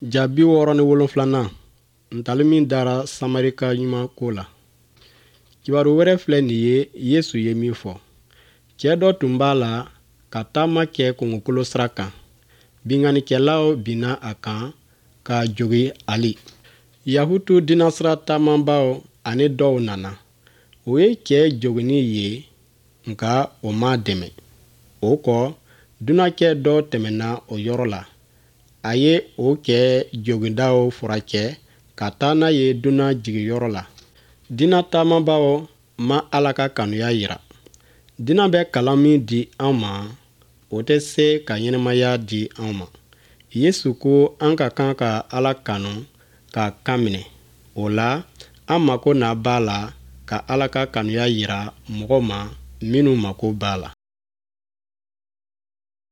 Ja 67nan, ntalen min dara Samarika ɲuman ko la. Kibaru wɛrɛ filɛ nin ye Yesu ye min fɔ. Cɛ dɔ tun b'a la ka taama kɛ kungokolo sira kan. Binkannikɛlaw binna a kan k'a jogin ali. Yahutu dinasira taamabaaw ani dɔw nana. U ye cɛ joginni ye nka o m'a dɛmɛ. O kɔ, dunankɛ dɔ tɛmɛna o yɔrɔ la. A ye o cɛ jogindaw furakɛ ka taa n'a ye dunan jigiyɔrɔ la. Diinɛ taamabaaw ma Ala ka kanuya jira. Diinɛ bɛ kalan min di an ma, o tɛ se ka ɲɛnamaya di an ma. Yesu ko an ka kan ka Ala kanu k'a kan minɛ. O la, an mako na b'a la ka Ala ka kanuya jira mɔgɔw ma minnu mako b'a la.